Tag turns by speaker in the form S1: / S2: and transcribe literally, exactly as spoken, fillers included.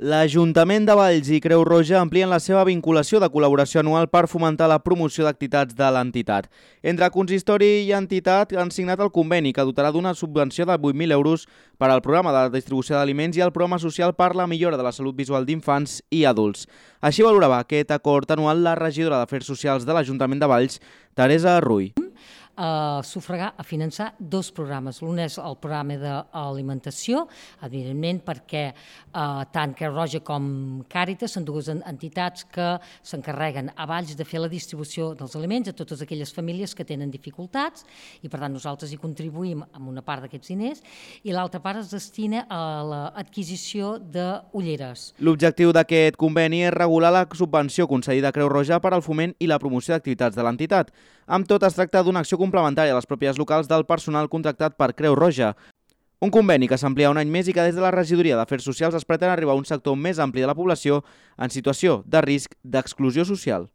S1: L'Ajuntament de Valls i Creu Roja amplien la seva vinculació de col·laboració anual per fomentar la promoció d'activitats de l'entitat. Entre consistori i entitat han signat el conveni que dotarà d'una subvenció de vuit mil euros per al programa de distribució d'aliments i el programa social per la millora de la salut visual d'infants i adults. Així valorava aquest acord anual la regidora d'Afers Socials de l'Ajuntament de Valls, Teresa Rull.
S2: A sufragar, a finançar dos programes. L'un és el programa d'alimentació, evidentment perquè eh, tant Creu Roja com Càritas són dues entitats que s'encarreguen a Valls de fer la distribució dels aliments a totes aquelles famílies que tenen dificultats i per tant nosaltres hi contribuïm amb una part d'aquests diners i l'altra part es destina a l'adquisició d'ulleres.
S1: L'objectiu d'aquest conveni és regular la subvenció concedida a Creu Roja per al foment i la promoció d'activitats de l'entitat. Amb tot, es tracta d'una acció complementària a les pròpies locals del personal contractat per Creu Roja. Un conveni que s'amplia un any més i que des de la regidoria d'Afers Socials es pretén arribar a un sector més ampli de la població en situació de risc d'exclusió social.